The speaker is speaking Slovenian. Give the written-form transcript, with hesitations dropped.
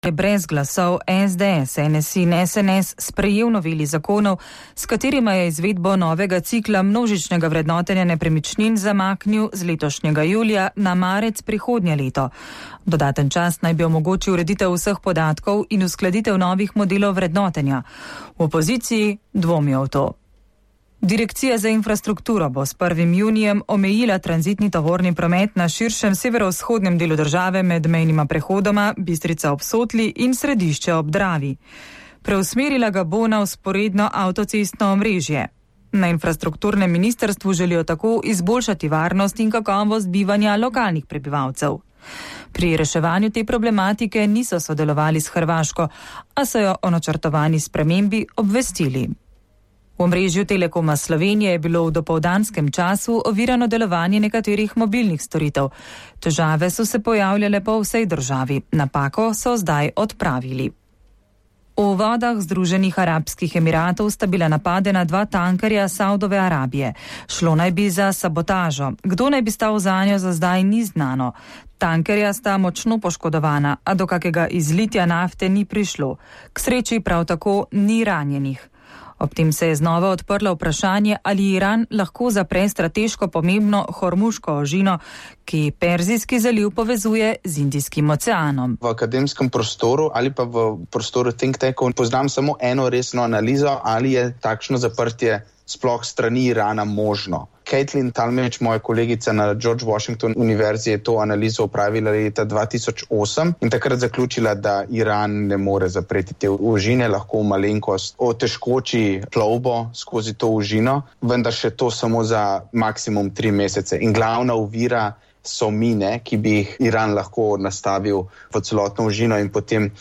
je brez glasov SDS, NSI in SNS sprejel noveli zakonov, s katerima je izvedbo novega cikla množičnega vrednotenja nepremičnin zamaknil z letošnjega julija na marec prihodnje leto. Dodaten čas naj bi omogočil ureditev vseh podatkov in uskladitev novih modelov vrednotenja. V opoziciji dvomijo v to. Direkcija za infrastrukturo bo s 1. junijem omejila tranzitni tovorni promet na širšem severovzhodnem delu države med mejnima prehodoma Bistrica ob Sotli in Središče ob Dravi. Preusmerila ga bo na vzporedno avtocestno omrežje. Na infrastrukturnem ministrstvu želijo tako izboljšati varnost in kakovost bivanja lokalnih prebivalcev. Pri reševanju te problematike niso sodelovali s Hrvaško, a so jo o načrtovani spremembi obvestili. V omrežju Telekoma Slovenije je bilo v dopoldanskem času ovirano delovanje nekaterih mobilnih storitev. Težave so se pojavljale po vsej državi. Napako so zdaj odpravili. V vodah Združenih arabskih emiratov sta bila napadena 2 tankerja Saudove Arabije. Šlo naj bi za sabotažo. Kdo naj bi stal zanjo, za zdaj ni znano. Tankerja sta močno poškodovana, a do kakega izlitja nafte ni prišlo. K sreči prav tako ni ranjenih. Ob tem se je znova odprlo vprašanje, ali Iran lahko zapre strateško pomembno Hormuško ožino, ki Perzijski zaliv povezuje z Indijskim oceanom. V akademskem prostoru ali pa v prostoru think tankov poznam samo eno resno analizo, ali je takšno zaprtje sploh strani Irana možno. Caitlin Talmadge, moja kolegica na George Washington univerzi, je to analizo opravila leta 2008 in takrat zaključila, da Iran ne more zapreti te ožine, lahko malenkost otežkoči plovbo skozi to ožino, vendar še to samo za maksimum 3 mesece. In glavna ovira so mine, ki bi jih Iran lahko nastavil v celotno ožino in potem